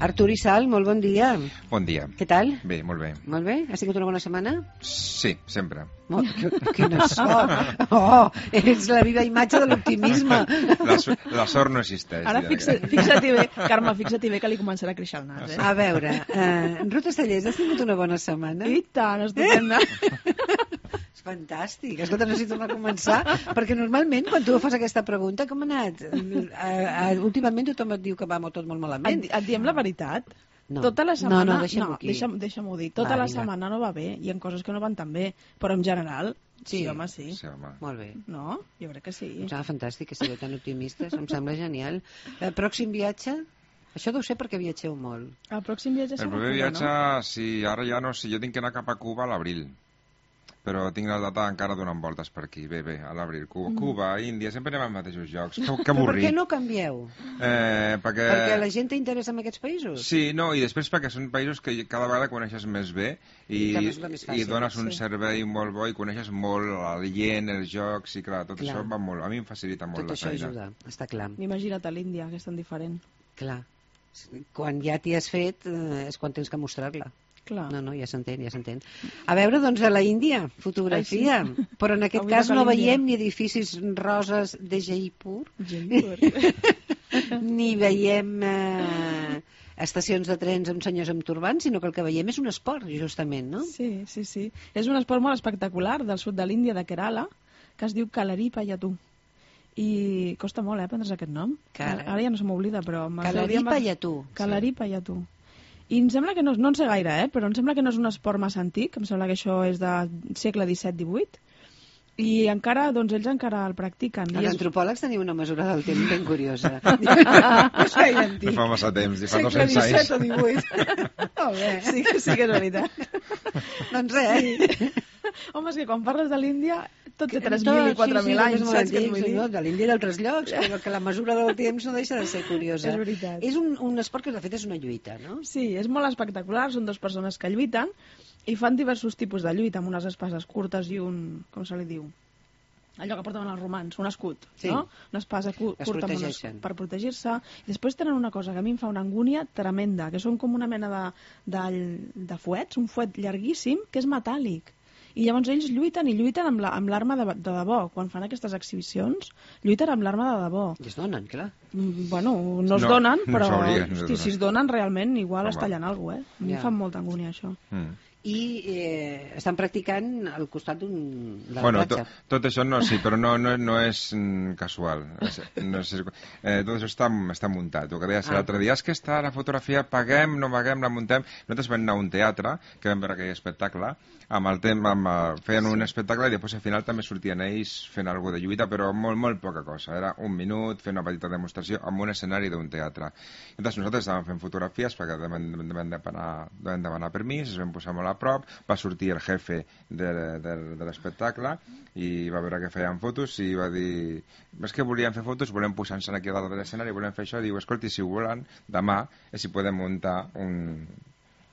Artur i Sal, molt bon dia. Bon dia. Què tal? Bé, molt bé. Molt bé? Ha sigut una bona setmana? Sí, sempre. Quina sort! Oh, ets la viva imatge de l'optimisme. La sort no existeix. Ara fixa-t'hi bé, Carme, fixa-t'hi bé que li començarà a créixer el nas, A veure, Ruth Estellers, has tingut una bona setmana? I tant, estupenda. És fantàstic. Escolta, no sé si tornar a començar, perquè normalment quan tu fas aquesta pregunta, com ha anat? Últimament tothom et diu que va tot molt malament. Et diem la veritat? No. Tota la setmana... deixa'm-ho aquí. Deixa'm-ho dir. Tota la setmana no va bé. Hi ha coses que no van tan bé. Però en general, sí, home, sí. Sí, home. Molt bé. No? Jo crec que sí. Em sembla fantàstic que sigueu tan optimistes. Em sembla genial. Pròxim viatge? Això deu ser perquè viatgeu molt. El pròxim viatge El serà proper Cuba, viatge, no? sí, ara ja no sé, jo tinc que anar cap a Cuba a l'abril. Però tinc la data encara donant voltes per aquí. Bé, a l'abril. Cuba, Índia, sempre anem als mateixos llocs. Que Però per avorrit. què no canvieu? Perquè la gent té interès en aquests països? Sí, no, i després perquè són països que cada vegada coneixes més bé i dones un servei molt bo i coneixes molt el yen, els jocs, i clar, tot això va molt, a mi em facilita molt la feina. Tot això ajuda, està clar. Imagina't a l'Índia, que és tan diferent. Clar. Quan ja t'hi has fet és quan tens que mostrar-la. Clar. No, ja s'entén, ja s'entén. A veure, doncs, a la Índia, fotografia. Ai, sí. Però en aquest cas no veiem ni edificis roses de Jaipur, ni veiem estacions de trens amb senyors amb turbants, sinó que el que veiem és un esport, justament, no? Sí. És un esport molt espectacular del sud de l'Índia, de Kerala, que es diu Kalari Payattu. I costa molt, aprendre's aquest nom. Ara ja no se m'oblida, però... Kalari Payattu. Kalari Payattu. I em sembla que no en sé gaire, però em sembla que no és un esport massa antic, em sembla que això és de segle XVII-XVIII, i encara, doncs ells encara el practiquen. Els antropòlegs teniu una mesura del temps ben curiosa. No és gaire antic. No fa massa temps, fa 200 anys. Segle XVII o XVIII. Molt bé. Sí que és veritat. Doncs res. Home, és que quan parles de l'Índia tot té 3.000 i 4.000 anys, saps què et vull dir? De l'Índia i d'altres llocs, però que la mesura del temps no deixa de ser curiosa. És veritat. És un esport que de fet és una lluita, no? Sí, és molt espectacular, són dues persones que lluiten i fan diversos tipus de lluita, amb unes espases curtes i un... com se li diu? Allò que portaven els romans, un escut, no? Una espasa curta per protegir-se. I després tenen una cosa que a mi em fa una angúnia tremenda, que són com una mena de fuets, un fuet llarguíssim, que és metàl·lic. I llavors ells lluiten amb l'arma de debò. Quan fan aquestes exhibicions, lluiten amb l'arma de debò. I es donen, clar. Bueno, no es donen, però si es donen realment, igual es tallen alguna cosa, A mi em fa molta angúnia, això. I estan practicant al costat de la platja. Tot això no, sí, però no és casual. Tot això està muntat. El que deies l'altre dia és que està la fotografia, paguem, no paguem, la muntem. Nosaltres vam anar a un teatre, que vam veure aquell espectacle, feien un espectacle i després al final també sortien ells fent alguna de lluita, però molt poca cosa. Era un minut, fer una petita demostració en un escenari d'un teatre. Llavors nosaltres estàvem fent fotografies perquè vam demanar permís, es vam posar molt a prop, va sortir el jefe de l'espectacle i va veure que feien fotos i va dir, és que volíem fer fotos, volem posar-nos aquí a dalt de l'escenari, volem fer això, diu, escolti, si ho volen, demà, si podem muntar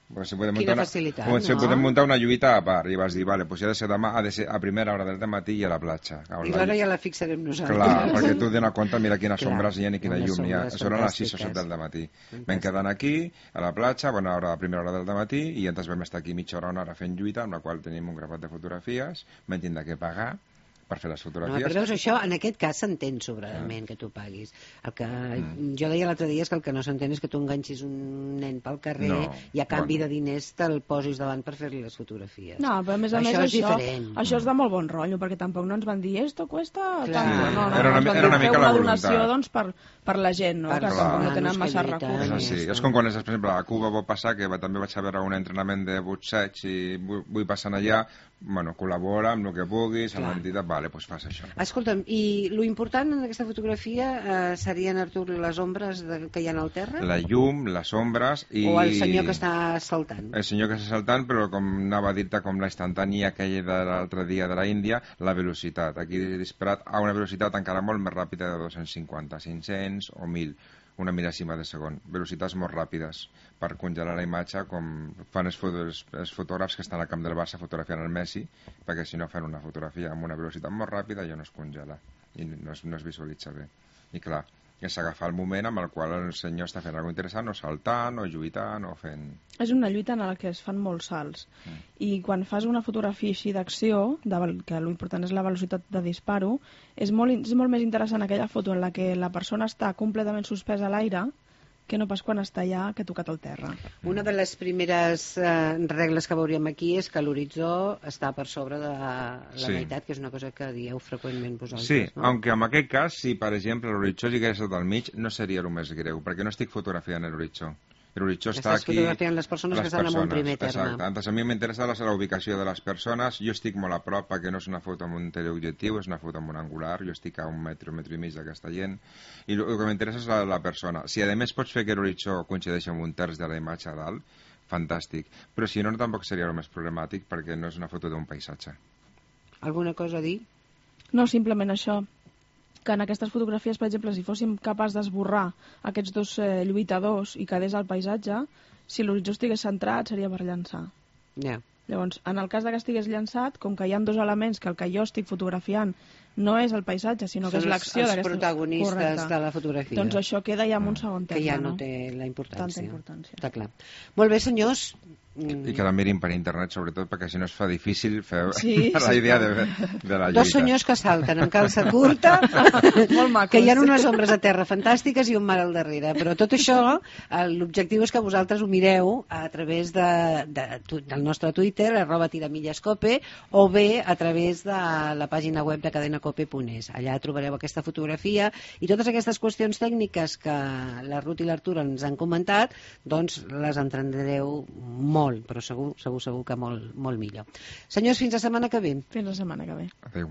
Quina facilitat, no? Si podem muntar una lluita a part. I vas dir, vale, doncs ha de ser demà, ha de ser a primera hora del matí i a la platja. I l'hora ja la fixarem nosaltres. Clar, perquè tu dones compte, mira quines sombres hi ha i quina llum hi ha. Són a les 6 o 7 del matí. Vam quedar aquí, a la platja, a primera hora del matí, i ens vam estar aquí mitja hora, una hora fent lluita, amb la qual tenim un grapat de fotografies, vam tindre que pagar per fer les fotografies. No, però veus, això en aquest cas s'entén sobradament que tu paguis. El que jo deia l'altre dia és que el que no s'entén és que tu enganxis un nen pel carrer i a canvi de diners te'l posis davant per fer-li les fotografies. No, però a més això és de molt bon rotllo, perquè tampoc no ens van dir esto cuesta tanto. No, era una mica la voluntat. Donació, doncs, per la gent, no? Que tampoc no tenen massa recursos. És com quan, per exemple, a Cuba va passar que també vaig a veure un entrenament de boxeig i vull passar allà, col·labora amb el que puguis, amb l'entitat, doncs fas això. Escolta'm, i lo important en aquesta fotografia serien, Artur, les ombres que hi ha al terra? La llum, les ombres i... O el senyor que està saltant? El senyor que està saltant, però com anava a dir-te, com la instantània aquella de l'altre dia de la Índia, la velocitat. Aquí he disparat a una velocitat encara molt més ràpida de 250, 500 o 1.000. Una mil·lèsima de segon, velocitats molt ràpides per congelar la imatge, com fan els fotògrafs que estan al camp del Barça fotografiant el Messi, perquè si no fan una fotografia amb una velocitat molt ràpida ja no es congela i no es visualitza bé. I clar, és agafar el moment amb el qual el senyor està fent alguna cosa interessant, o saltant, o lluitant, o fent... És una lluita en la que es fan molts salts. I quan fas una fotografia així d'acció, que l'important és la velocitat de disparo, és molt més interessant aquella foto en la que la persona està completament suspesa a l'aire que no pas quan està ja que ha tocat el terra. Una de les primeres regles que veuríem aquí és que l'horitzó està per sobre de la meitat, que és una cosa que dieu freqüentment vosaltres. Sí, no? aunque en aquest cas, si per exemple l'horitzó estigués al mig, no seria el més greu, perquè no estic fotografiant l'horitzó. L'horitzó està aquí... Estàs fotografiant les persones que estan en un primer terme. Exacte. Entonces, a mi m'interessa la ubicació de les persones. Jo estic molt a prop perquè no és una foto amb un teleobjectiu, és una foto amb un angular. Jo estic a un metro i mig d'aquesta gent. I el que m'interessa és la persona. Si a més pots fer que l'horitzó coincideixi amb un terç de la imatge a dalt, fantàstic. Però si no, tampoc seria el més problemàtic perquè no és una foto d'un paisatge. Alguna cosa a dir? No, simplement això, que en aquestes fotografies, per exemple, si fóssim capaç d'esborrar aquests dos lluitadors i quedés el paisatge, si l'horitzó estigués centrat seria per llançar. Yeah. Llavors, en el cas que estigués llançat, com que hi ha dos elements que el que jo estic fotografiant no és el paisatge, sinó que és l'acció d'aquestes... Són els protagonistes de la fotografia. Doncs això queda ja en un segon terme. Que ja no té la importància. Tanta importància. Està clar. Molt bé, senyors. I que la mirin per internet, sobretot, perquè si no es fa difícil fer la idea de la lluita. Dos senyors que salten amb calça curta, que hi ha unes ombres a terra fantàstiques i un mar al darrere. Però tot això, l'objectiu és que vosaltres ho mireu a través del nostre Twitter, @tiramillescope, o bé a través de la pàgina web de cadenacope.es. Allà trobareu aquesta fotografia i totes aquestes qüestions tècniques que la Ruth i l'Artur ens han comentat, doncs les entendreu molt, però segur que molt millor. Senyors, fins la setmana que ve. Fins la setmana que ve. Adéu.